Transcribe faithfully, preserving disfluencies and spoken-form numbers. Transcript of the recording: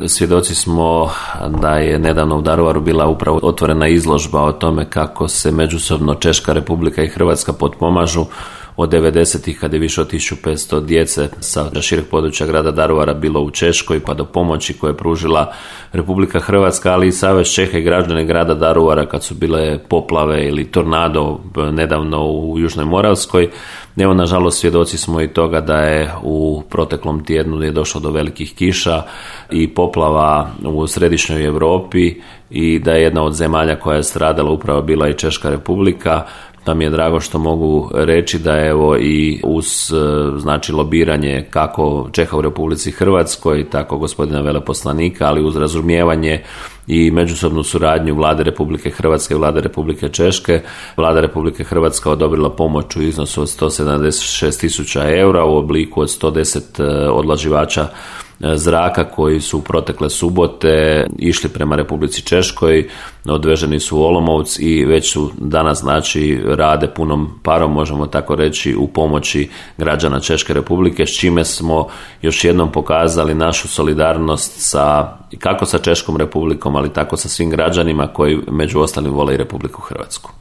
svjedoci smo da je nedavno u Daruvaru bila upravo otvorena izložba o tome kako se međusobno Češka Republika i Hrvatska potpomažu od devedesetih kad je više od tisuću petsto djece sa šireg područja grada Daruvara bilo u Češkoj, pa do pomoći koje je pružila Republika Hrvatska, ali i Savez Čeha i građani grada Daruvara kad su bile poplave ili tornado nedavno u Južnoj Moravskoj. Evo, nažalost, svjedoci smo i toga da je u proteklom tjednu je došlo do velikih kiša i poplava u središnjoj Europi i da je jedna od zemalja koja je stradala upravo bila i Češka Republika. Pa mi je drago što mogu reći da evo i uz znači lobiranje kako Čeha u Republici Hrvatskoj, tako gospodina veleposlanika, ali uz razumijevanje i međusobnu suradnju Vlade Republike Hrvatske i Vlade Republike Češke, Vlada Republike Hrvatska odobrila pomoć u iznosu od sto sedamdeset šest tisuća eura u obliku od sto deset odlaživača zraka koji su protekle subote išli prema Republici Češkoj, odveženi su u Olomouc i već su danas znači rade punom parom, možemo tako reći, u pomoći građana Češke Republike, s čime smo još jednom pokazali našu solidarnost sa, kako sa Češkom Republikom, ali tako sa svim građanima koji među ostalim vole i Republiku Hrvatsku.